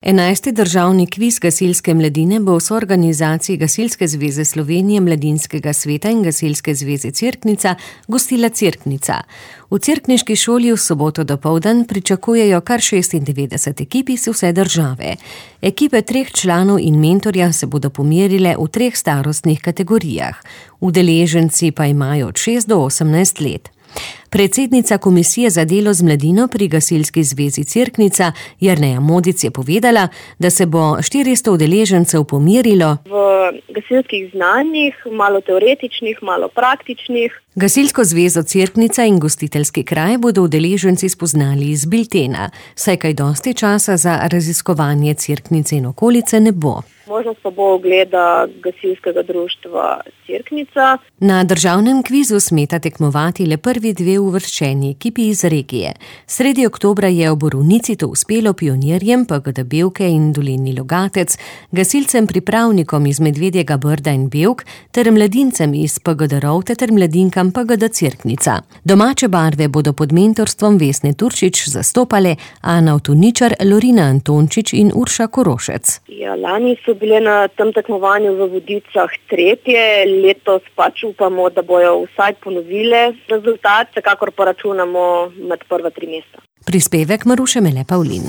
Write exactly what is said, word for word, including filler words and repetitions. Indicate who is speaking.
Speaker 1: Enajsti državni kviz gasilske mladine bo v soorganizaciji Gasilske zveze Slovenije, Mladinskega sveta in Gasilske zveze Cerknica gostila Cerknica. V cerkniški šoli v soboto dopoldan pričakujejo kar šestindevetdeset ekip iz vse države. Ekipe treh članov in mentorja se bodo pomerile v treh starostnih kategorijah. Udeleženci pa imajo od šest do osemnajst let. Predsednica Komisije za delo z mladino pri Gasilski zvezi Cerknica, Jerneja Modic, je povedala, da se bo štiristo udeležencev pomerilo
Speaker 2: v gasilskih znanjih, malo teoretičnih, malo praktičnih.
Speaker 1: Gasilsko zvezo Cerknica in gostiteljski kraj bodo udeleženci spoznali iz biltena, saj kaj dosti časa za raziskovanje Cerknice in okolice ne bo.
Speaker 2: Možnost pa bo ogleda gasilskega društva Cerknica.
Speaker 1: Na državnem kvizu smeta tekmovati le prvi dve uvrščeni ekipi iz regije. Sredi oktobra je v Borovnici to uspelo pionirjem P G D Bevke in Dolenji Logatec, gasilcem pripravnikom iz Medvedjega Brda in Bevk ter mladincem iz P G D Rovte ter mladinkam P G D Cerknica. Domače barve bodo pod mentorstvom Vesne Turčič zastopale Ana Avtoničar, Lorina Antončič in Urša Korošec.
Speaker 2: Ja, lani so bile na tem tekmovanju v Vodicah tretje, letos pač upamo, da bojo vsaj ponovile rezultat, vsekakor pa računamo med prva tri mesta.
Speaker 1: Prispevek Maruše Mele Pavlin.